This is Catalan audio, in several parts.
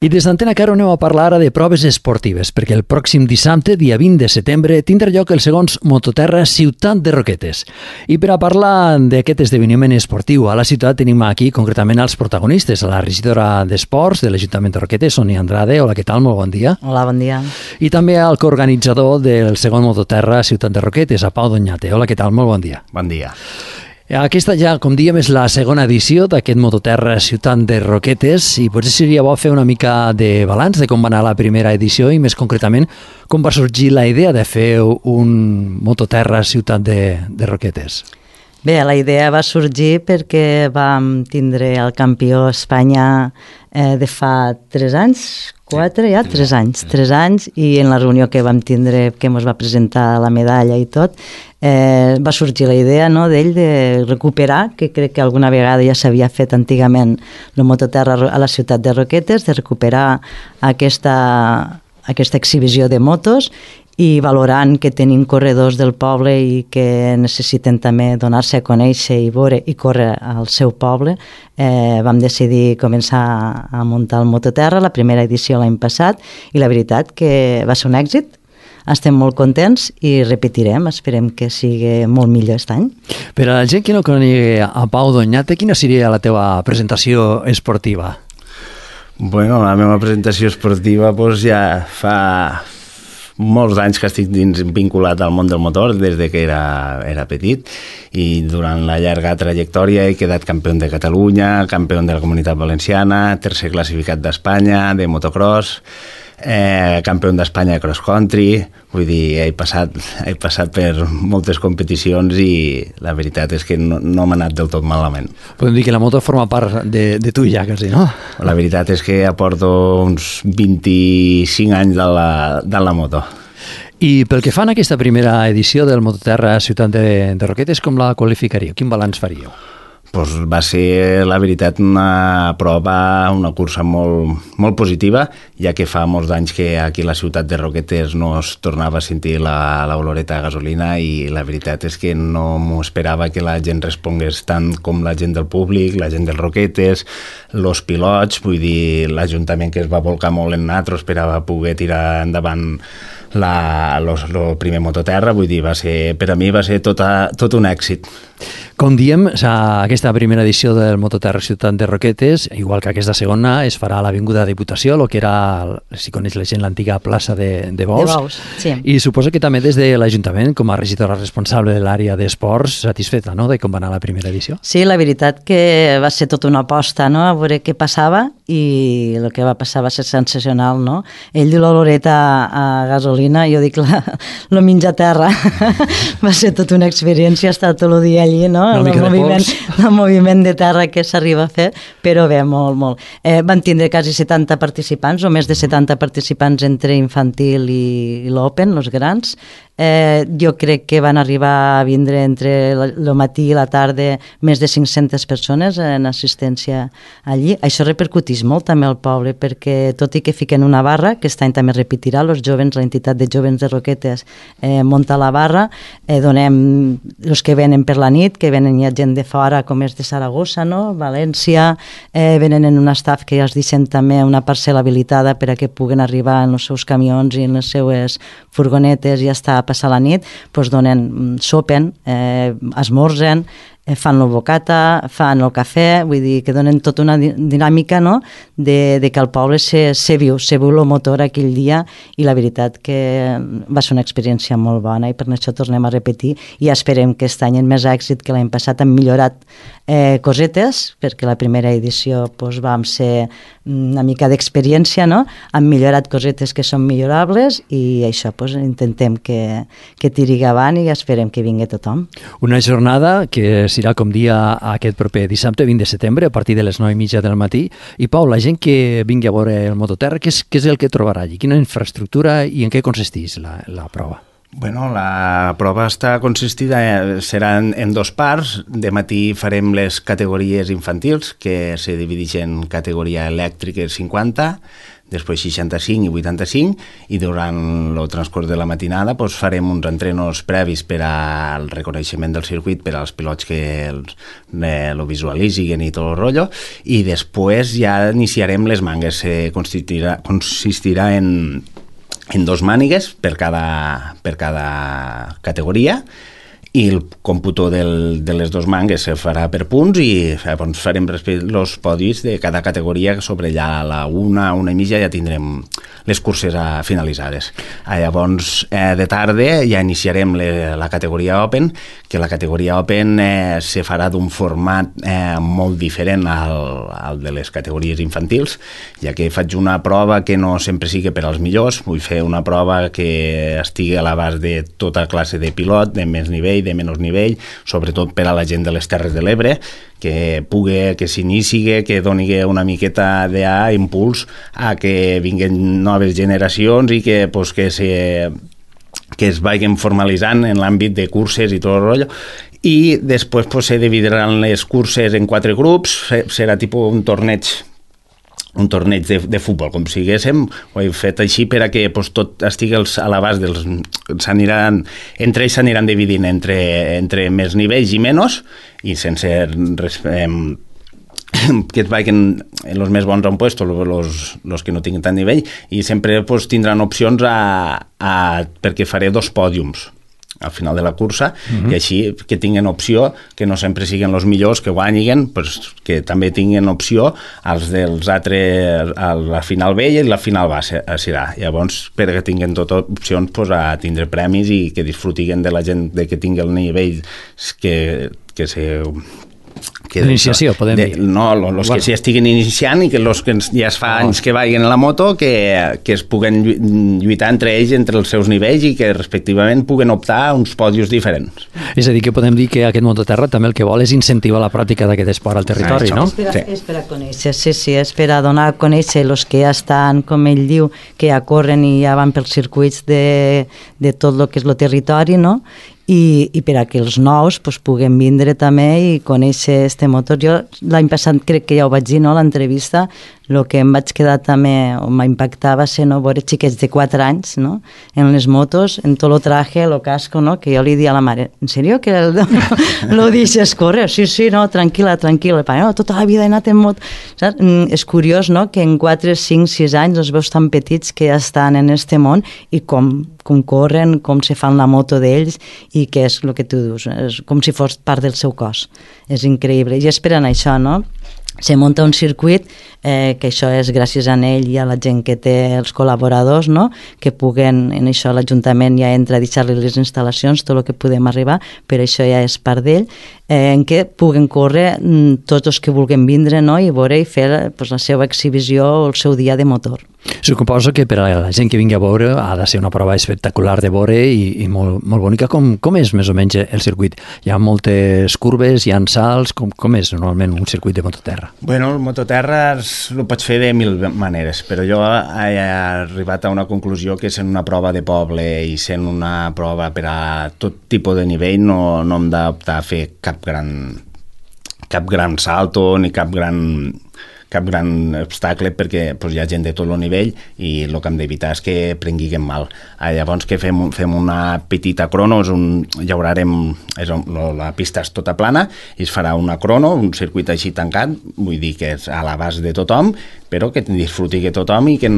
I des d'Antena Caro anem a parlar ara de proves esportives, perquè el pròxim dissabte, dia 20 de setembre, tindrà lloc el segons Mototerra Ciutat de Roquetes. I per a parlar d'aquest esdeveniment esportiu a la ciutat tenim aquí concretament els protagonistes, la regidora d'Esports de l'Ajuntament de Roquetes, Sonia Andrade. Hola, què tal? Molt bon dia. Hola, bon dia. I també el coorganitzador del segon Mototerra Ciutat de Roquetes, a Pau Doñate. Hola, què tal? Molt bon dia. Bon dia. Aquesta ja, com diem, és la segona edició d'aquest Mototerra Ciutat de Roquetes i potser seria bo fer una mica de balanç de com va anar la primera edició i més concretament com va sorgir la idea de fer un Mototerra Ciutat de Roquetes. Bé, la idea va sorgir perquè vam tindre el campió Espanya de fa 3 anys, 4, ja? 3 anys. 3 anys, i en la reunió que vam tindre, que ens va presentar la medalla i tot, va sorgir la idea, no, d'ell de recuperar, que crec que alguna vegada ja s'havia fet antigament el Mototerra a la ciutat de Roquetes, de recuperar aquesta exhibició de motos, i valorant que tenim corredors del poble i que necessiten també donar-se a conèixer i veure i córrer al seu poble, vam decidir començar a muntar el Mototerra, la primera edició l'any passat, i la veritat que va ser un èxit. Estem molt contents i repetirem, esperem que sigui molt millor aquest any. Per a la gent que no conegui a Pau Doñate, quina seria la teva presentació esportiva? Bueno, la meva presentació esportiva doncs, ja fa molts anys que estic vinculat al món del motor des de que era petit, i durant la llarga trajectòria he quedat campió de Catalunya, campió de la Comunitat Valenciana, tercer classificat d'Espanya de motocross, campió d'Espanya de cross country. Vull dir, he passat per moltes competicions i la veritat és que no m'ha anat del tot malament. Podem dir que la moto forma part de tu ja, quasi, no? La veritat és que aporto uns 25 anys de la moto. I pel que fa a aquesta primera edició del Mototerra Ciutat de Roquetes, com la qualificaríeu? Quin balanç faríeu? Pues va ser, la veritat, una prova, una cursa molt positiva, ja que fa molts anys que aquí a la ciutat de Roquetes no es tornava a sentir l'oloreta de gasolina, i la veritat és que no m'ho esperava que la gent respongués tant com la gent del públic, la gent dels Roquetes, els pilots. Vull dir, l'Ajuntament, que es va volcar molt en nosaltres per a poder tirar endavant el primer Mototerra. Vull dir, per a mi va ser tot un èxit. Com diem, aquesta primera edició del Mototerra Ciutat de Roquetes, igual que aquesta segona, es farà a l'Avinguda Diputació, el que era, si coneix la gent, l'antiga plaça de Bous. De Bous, sí. I suposo que també des de l'Ajuntament, com a regidora responsable de l'àrea d'esports, satisfeta, no?, de com va anar la primera edició. Sí, la veritat que va ser tota una aposta, no?, a veure què passava, i el que va passar va ser sensacional, no? Ell diu l'oloreta a gasolina, jo dic lo menjar a terra. Va ser tota una experiència estar tot el dia allí, no? El moviment de terra que s'arriba a fer, però bé, molt. Van tindre quasi 70 participants, o més de 70 participants entre infantil i l'Open, els grans. Jo crec que van arribar a vindre entre el matí i la tarda més de 500 persones en assistència allí. Això repercuteix molt també al poble, perquè tot i que fiquen una barra, que aquest any també repetirà, els jovens, l'entitat de jovens de Roquetes munta la barra, donem els que venen per la nit, que venen ja gent de fora, com és de Saragossa, no? València, venen en un staff que ja els deixen també una parcel·la habilitada per a que puguen arribar en els seus camions i en les seues furgonetes i ja està a passar la nit, doncs sopen, esmorzen, fan el bocata, fan el cafè, vull dir que donen tota una dinàmica, no?, de que el poble se viu el motor aquell dia, i la veritat que va ser una experiència molt bona, i per això tornem a repetir, i esperem que aquest any amb més èxit que l'any passat hem millorat cosetes, perquè la primera edició vam ser una mica d'experiència, no?, hem millorat cosetes que són millorables, i això intentem que tiri avant, i esperem que vingui tothom. Una jornada que serà, com dia, aquest proper dissabte 20 de setembre, a partir de les 9:30 del matí. I Pau, la gent que vingui a veure el Mototerra, què és el que trobarà allí? Quina infraestructura i en què consisteix la prova? Bueno, la prova serà en dos parts. De matí farem les categories infantils, que se divideixen en categoria elèctrica 50, després 65 i 85, i durant el transcurs de la matinada farem uns entrenos previs per al reconeixement del circuit, per als pilots que lo visualitzin i tot el rotllo, i després ja iniciarem les mangues. Consistirà en dos mànigues per cada categoria, i el còmputo de les dos mangues se farà per punts i llavors farem els podis de cada categoria. Sobre ja a la una i mitja ja tindrem les curses finalitzades. Llavors, de tarda ja iniciarem la categoria Open, que la categoria Open se farà d'un format molt diferent al de les categories infantils, ja que faig una prova que no sempre sigui per als millors. Vull fer una prova que estigui a l'abast de tota classe de pilot, de més nivell, de menys nivell, sobretot per a la gent de les Terres de l'Ebre, que s'inici, que doni una miqueta d'impuls a que vinguin noves generacions i que es vagin formalitzant en l'àmbit de curses i tot el rotllo. I després se dividiran les curses en 4 grups, serà tipus un torneig de futbol, com si diguéssim. Ho he fet així per a que tot estigui a l'abast dels... Entre ells s'aniran dividint entre més nivells i menys, i sense que es vagin els més bons a un puesto, els que no tinguin tant nivell, i sempre tindran opcions perquè faré 2 pòdiums al final de la cursa, i així que tinguin opció, que no sempre siguin els millors que guanyin, que també tinguin opció els dels altres a la final B i la final B serà. Llavors, perquè tinguin totes opcions a tindre premis i que disfrutin de la gent que tingui el nivell que se... D'iniciació, podem dir. No, els que s'hi estiguin iniciant i que els que ja es fa anys que vagin a la moto, que es puguen lluitar entre ells, entre els seus nivells, i que respectivament puguen optar a uns pòdiums diferents. És a dir, que podem dir que aquest Mototerra també el que vol és incentivar la pràctica d'aquest esport al territori, no? És per a conèixer, sí, és per a donar a conèixer els que ja estan, com ell diu, que ja corren i ja van pels circuits de tot el que és el territori, no? I per a que els nous puguen vindre també i conèixer este motor. Jo l'any passat crec que ja ho vaig dir, no?, a l'entrevista, el que em vaig quedar també, o m'impactava, va ser veure xiquets de 4 anys, no?, en les motos, en tot el traje, el casco, no?, que jo li dia a la mare, ¿en serio que lo deixes córrer? Sí, no, tranquil·la. No, tota la vida he anat en moto. Saps? És curiós, no?, que en 4, 5, 6 anys els veus tan petits que ja estan en este món i com corren, com se fan la moto d'ells, i que és el que tu dius, és com si fos part del seu cos. És increïble. I esperen això, no? Se munta un circuit, que això és gràcies a ell i a la gent que té els col·laboradors, no?, que puguen, en això l'Ajuntament ja entra a deixar-li les instal·lacions, tot el que podem arribar, però això ja és part d'ell, en què puguen córrer tots els que vulguin vindre, no?, i veure i fer la seva exhibició o el seu dia de motor. Suposo que per a la gent que vingui a veure ha de ser una prova espectacular de veure i molt bonica. Com és més o menys el circuit? Hi ha moltes curves, hi ha salts, com és normalment un circuit de mototerra? Bueno, el mototerra ho pots fer de 1000 maneres, però jo he arribat a una conclusió que sent una prova de poble i sent una prova per a tot tipus de nivell no hem d'optar a fer cap gran salto ni cap gran obstacle, perquè hi ha gent de tot el nivell i el que hem d'evitar és que prenguin mal. Llavors que fem una petita crono, la pista és tota plana i es farà una crono, un circuit així tancat, vull dir que és a l'abast de tothom, però que disfruti tothom i que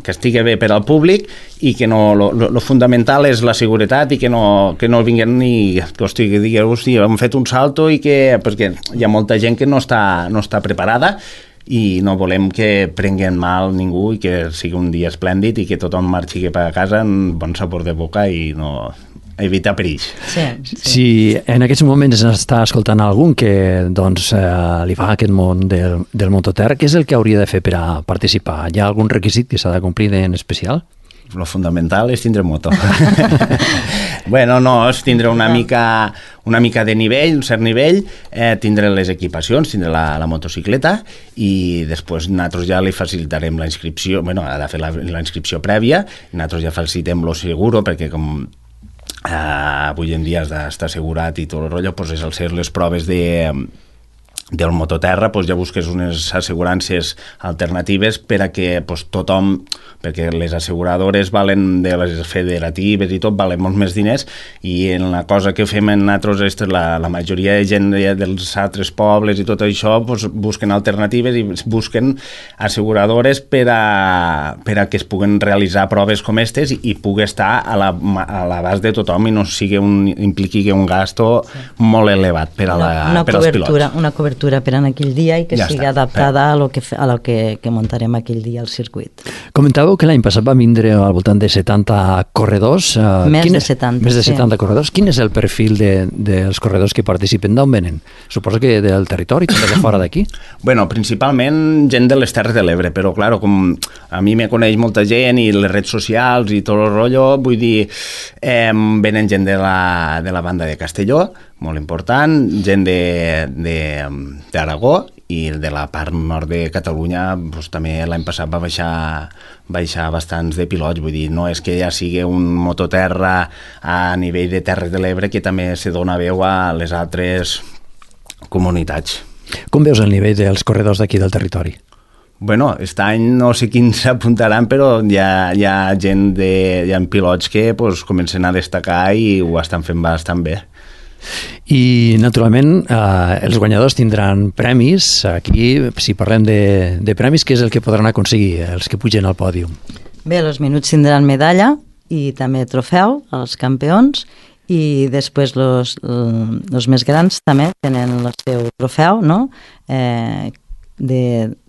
estigui bé per al públic, i que lo fundamental és la seguretat i que no vinguin ni que digueu, hòstia, hem fet un salto, i que perquè hi ha molta gent que no està preparada i no volem que prenguen mal ningú i que sigui un dia esplèndid i que tothom marxi cap a casa amb bon sabor de boca i no evitar perills. Sí. Si en aquests moments està escoltant algun que li fa aquest món del mototerra, què és el que hauria de fer per a participar? Hi ha algun requisit que s'ha de complir en especial? Lo fundamental és tindre moto. Bueno, no, és tindre una mica de nivell, un cert nivell, tindre les equipacions, tindre la motocicleta, i després nosaltres ja li facilitarem la inscripció, ha de fer la inscripció prèvia, i nosaltres ja facilitem lo seguro, perquè com avui en dia està assegurat i tot el rotllo, doncs és el ser les proves del mototerra, doncs ja busques unes assegurances alternatives per a que tothom, perquè les asseguradores valen de les federatives i tot, valen molts més diners, i en la cosa que fem nosaltres, la majoria de gent dels altres pobles i tot això, doncs busquen alternatives i busquen asseguradores per a que es puguen realitzar proves com aquestes i pugui estar a l'abast de tothom i no impliqui un gasto molt elevat per als pilots. Una cobertura per en aquell dia i que sigui adaptada a lo que muntarem aquell dia al circuit. Comentàveu que l'any passat va vindre al voltant de 70 corredors. Més de 70 corredors. Quin és el perfil dels corredors que participen? D'on venen? Suposo que del territori, també de fora d'aquí? Bueno, principalment gent de les Terres de l'Ebre, però clar, com a mi me coneix molta gent i les redes socials i tot el rotllo, vull dir, venen gent de la banda de Castelló, molt important, gent d'Aragó i de la part nord de Catalunya doncs, també l'any passat va baixar bastants de pilots, vull dir, no és que ja sigui un mototerra a nivell de Terres de l'Ebre, que també se dona veu a les altres comunitats. Com veus el nivell dels corredors d'aquí del territori? Bueno, aquest any no sé quins s'apuntaran, però hi ha gent, hi ha pilots que pues, comencen a destacar i ho estan fent bastant bé. I, naturalment, els guanyadors tindran premis. Aquí, si parlem de premis, què és el que podran aconseguir els que pugen al pòdium? Bé, els menuts tindran medalla i també trofeu als campions, i després els més grans també tenen el seu trofeu, no?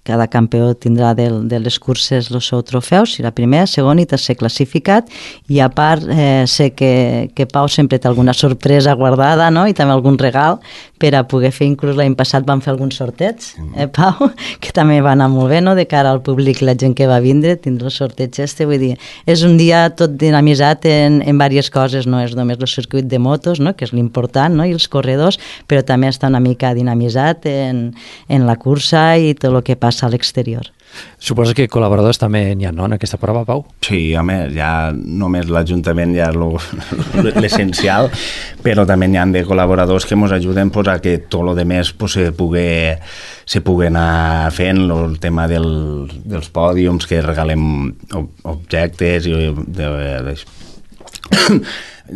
Cada campió tindrà de les curses el seu trofeu, serà primer, segon i tercer classificat, i a part sé que Pau sempre té alguna sorpresa guardada, no? I també algun regal per a poder fer, inclús l'any passat van fer alguns sortets, Pau, que també va anar molt bé, no? De cara al públic, la gent que va vindre, tindre el sorteig vull dir, és un dia tot dinamitzat en diverses coses, no és només el circuit de motos, no? Que és l'important, no? I els corredors, però també està una mica dinamitzat en la cursa i tot el que passa a l'exterior. Suposo que col·laboradors també n'hi ha, no, en aquesta prova, Pau? Sí, home, ja només l'Ajuntament ja l'essencial, però també n'hi ha de col·laboradors que ens ajuden pues, a que tot el demés pues, se pugui anar fent, el tema dels pòdiums, que regalem objectes i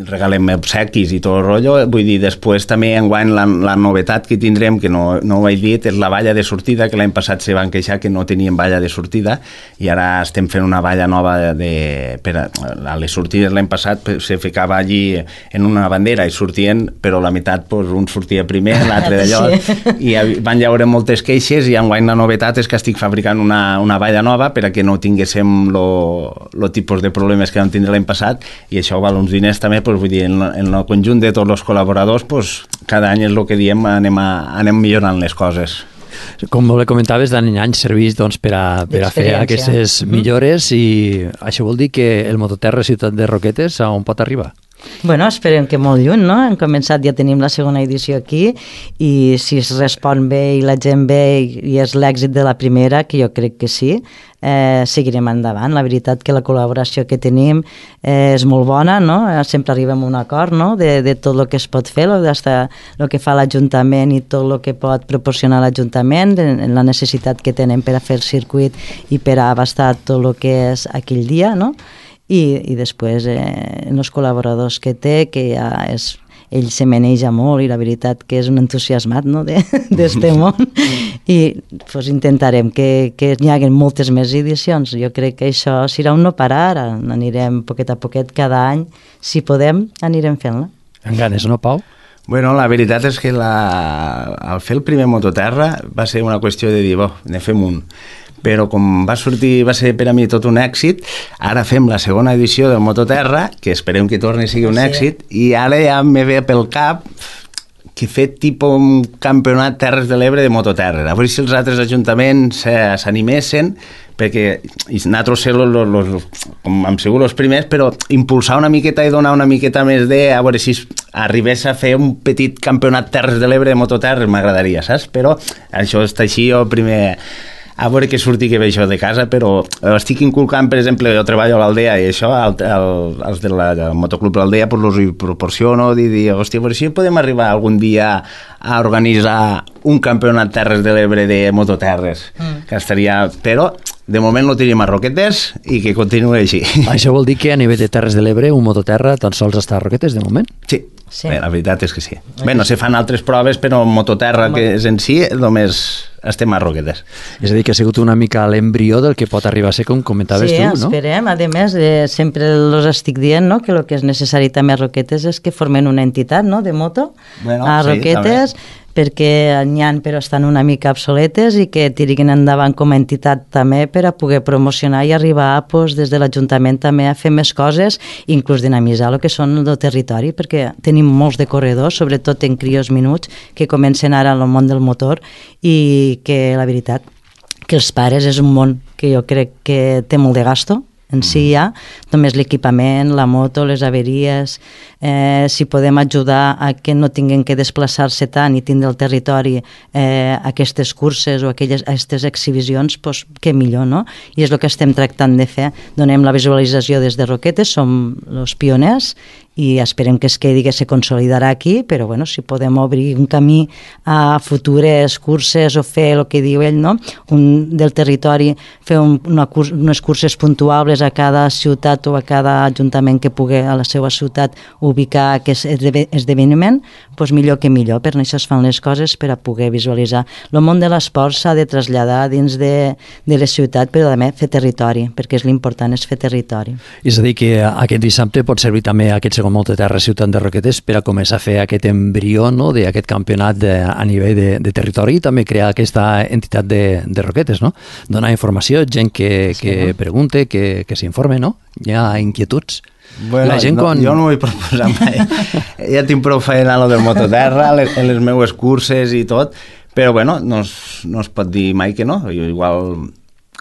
regalem obsequis i tot el rotllo. Vull dir, després també enguany la novetat que tindrem, que no ho he dit, és la valla de sortida, que l'any passat se van queixar que no tenien valla de sortida, i ara estem fent una valla nova a les sortides. L'any passat se ficava allí en una bandera i sortien, però la meitat pues, un sortia primer, l'altre d'allò, i van llaure moltes queixes, i enguany la novetat és que estic fabricant una valla nova per a que no tinguéssim el tipus de problemes que vam tindre l'any passat, i això val uns diners també. Pues, vull dir, en el conjunt de tots els col·laboradors, pues, cada any és el que diem, anem millorant les coses. Com bé comentaves, d'any en any serveix doncs, per a fer aquestes millores, i això vol dir que el Mototerra Ciutat de Roquetes a on pot arribar? Bueno, esperem que molt lluny, no? Hem començat, ja tenim la segona edició aquí, i si es respon bé i la gent bé i és l'èxit de la primera, que jo crec que sí, seguirem endavant. La veritat que la col·laboració que tenim és molt bona, no? Sempre arribem a un acord, no? De tot el que es pot fer, el que fa l'Ajuntament i tot el que pot proporcionar l'Ajuntament, la necessitat que tenen per a fer el circuit i per a abastar tot el que és aquell dia, no? I després els col·laboradors que té, que ja ell se maneja molt i la veritat que és un entusiasmat, no? d'este món, i pues, intentarem que hi hagi moltes més edicions. Jo crec que això serà un no parar, anirem poquet a poquet cada any, si podem anirem fent-la. En ganes, no, Pau? Bueno, la veritat és que al fer el primer Mototerra va ser una qüestió de dir, ne fem un. Però com va ser per a mi tot un èxit, ara fem la segona edició del Mototerra, que esperem que torni a sigui un èxit, i ara ja me ve pel cap que fer tipus un campionat Terres de l'Ebre de Mototerra. A veure si els altres ajuntaments s'animessin, perquè nosaltres com hem sigut els primers, però impulsar una miqueta i donar una miqueta més a veure si arribés a fer un petit campionat Terres de l'Ebre de Mototerra, m'agradaria, saps? Però això està així, jo primer a veure que surti que ve això de casa, però estic inculcant, per exemple, jo treballo a l'Aldea i això, els del Motoclub de l'Aldea, pues, els hi proporciono, dir, hòstia, però si podem arribar algun dia a organitzar un campionat Terres de l'Ebre de mototerres, que estaria... Però, de moment no tenim a Roquetes i que continuï així. Això vol dir que a nivell de Terres de l'Ebre un mototerra tan sols està a Roquetes de moment? Sí. Bé, la veritat és que sí. Bé, no se fan altres proves, però mototerra que és en si, només estem a Roquetes. És a dir, que ha sigut una mica l'embrió del que pot arribar a ser, com comentaves tu, no? Sí, esperem. A més, sempre els estic dient, no?, que el que és necessari també a Roquetes és que formen una entitat, no?, de moto a Roquetes, perquè n'hi ha però estan una mica obsoletes i que tiriguin endavant com a entitat també per a poder promocionar i arribar pues, des de l'Ajuntament també a fer més coses, inclús dinamitzar el que són el territori, perquè tenim molts de corredors, sobretot en crios minuts, que comencen ara en el món del motor i que la veritat que els pares és un món que jo crec que té molt de gasto en si ja, només l'equipament, la moto, les averies, si podem ajudar a que no tinguin que desplaçar-se tant i tindre el territori aquestes curses o aquestes exhibicions, doncs que millor, no? I és el que estem tractant de fer. Donem la visualització des de Roquetes, som els pioners i esperem que es quedi, que se consolidarà aquí, però bueno, si podem obrir un camí a futures curses o fer el que diu ell, no? Del territori, fer unes curses puntuables a cada ciutat o a cada ajuntament que pugui a la seva ciutat ubicar aquest esdeveniment, doncs millor que millor, per això es fan les coses per a poder visualitzar. El món de l'esport s'ha de traslladar dins de la ciutat, però també fer territori, perquè l'important és fer territori. És a dir, que aquest dissabte pot servir també aquest segon Mototerra Ciutat de Roquetes per a començar a fer aquest embrió, no?, d'aquest campionat a nivell de territori i també crear aquesta entitat de Roquetes, no? Donar informació, gent que pregunte, que s'informe, no? Hi ha inquietuds. Bueno, jo no vull proposar mai. Ja tinc prou feina a lo del mototerra, en les meues curses i tot, però bueno, no es pot dir mai que no. Jo igual,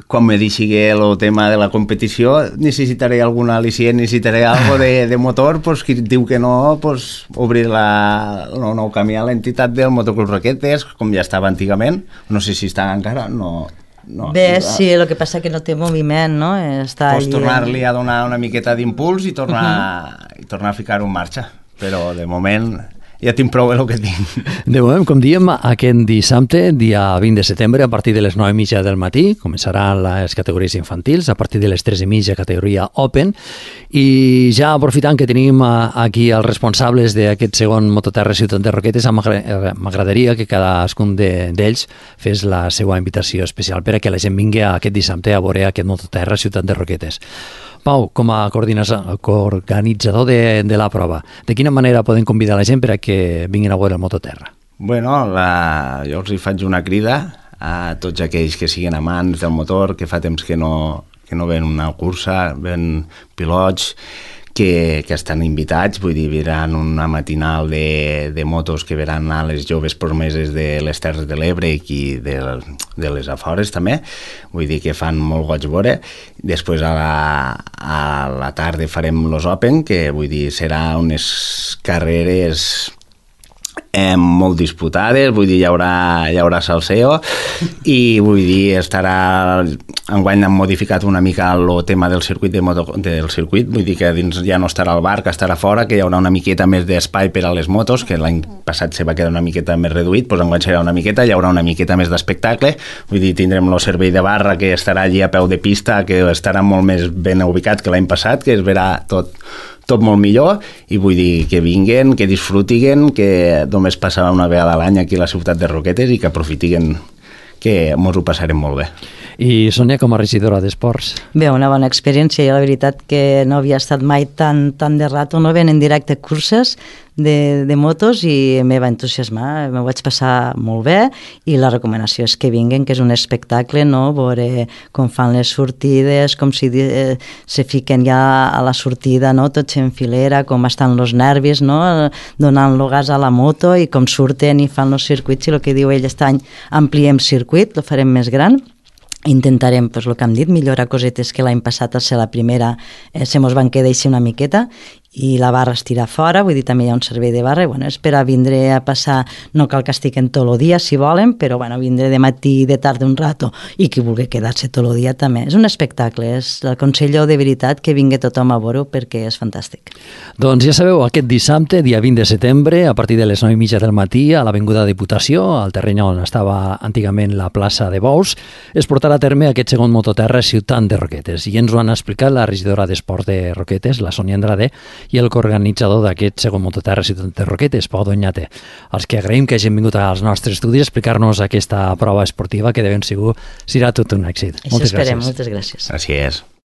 quan me deixi el tema de la competició, necessitaré algun al·licient, necessitaré algo de motor, pues, qui diu que no, pues, obrir el nou camí a l'entitat del Motoclub Roquetes, com ja estava antigament. No sé si està encara, no... Bé, sí, el que passa que no té moviment, no? Pots tornar-li a donar una miqueta d'impuls i tornar a ficar-ho en marxa, però de moment ja tinc prou el que tinc. De moment, com diem, aquest dissabte, dia 20 de setembre, a partir de les 9:30 del matí, començaran les categories infantils, a partir de les 3:30 categoria Open, i ja aprofitant que tenim aquí els responsables d'aquest segon Mototerra Ciutat de Roquetes, m'agradaria que cadascun d'ells fes la seva invitació especial per a que la gent vingui aquest dissabte a veure aquest Mototerra Ciutat de Roquetes. Pau, com a coorganitzador de la prova, de quina manera poden convidar la gent per a que vinguin a veure el Mototerra? Bueno, jo els hi faig una crida a tots aquells que siguin amants del motor, que fa temps que no ven una cursa, ven pilots, que estan invitats, vull dir, veuran una matinal de motos que veuran a les joves promeses de les Terres de l'Ebre i de les afores també, vull dir que fan molt goig veure. Després a la tarda farem los Open, que vull dir serà unes carreres molt disputades, vull dir, hi haurà salseo i vull dir, enguany han modificat una mica el tema del circuit, vull dir que dins ja no estarà el bar, que estarà fora, que hi haurà una miqueta més d'espai per a les motos, que l'any passat se va quedar una miqueta més reduït, doncs enguany serà una miqueta, hi haurà una miqueta més d'espectacle, vull dir, tindrem el servei de barra que estarà allí a peu de pista, que estarà molt més ben ubicat que l'any passat, que es verà tot molt millor, i vull dir que vinguen, que disfrutiguen, que només passarà una vegada a l'any aquí a la ciutat de Roquetes i que aprofitiguen, que ens ho passarem molt bé. I Sònia, com a regidora d'Esports? Bé, una bona experiència. Jo la veritat que no havia estat mai tan de rato, no ven en directe curses de motos i me va entusiasmar, me vaig passar molt bé i la recomanació és que vinguen, que és un espectacle, no? Veure com fan les sortides, com si se fiquen ja a la sortida, no? Tots en filera, com estan els nervis, no? Donant-lo gas a la moto i com surten i fan els circuits, i el que diu ell, aquest any ampliem circuit, el farem més gran. Intentarem, doncs el que hem dit, millorar cosetes que l'any passat, al ser la primera, se mos van quedar així una miqueta, i la barra es tira fora, vull dir, també hi ha un servei de barra, i bueno, és per a vindre a passar, no cal que estiguen tot el dia, si volen, però bueno, vindre de matí i de tarda un rato, i qui vulgui quedar-se tot el dia també. És un espectacle, l'aconsello de veritat que vingui tothom a veure perquè és fantàstic. Doncs ja sabeu, aquest dissabte, dia 20 de setembre, a partir de les 9:30 del matí, a l'Avinguda Diputació, al terreny on estava antigament la plaça de Bous, es portarà a terme aquest segon mototerra Ciutat de Roquetes, i ens ho han explicat la regidora d'Esports de Roquetes, la Sònia Andrade, i el coorganitzador d'aquest segon mototerra Ciutat de Roquetes, Pau Doñate, els que agraïm que hagin vingut als nostres estudis a explicar-nos aquesta prova esportiva que de ben segur serà tot un èxit. Moltes gràcies. Moltes gràcies. Gràcies.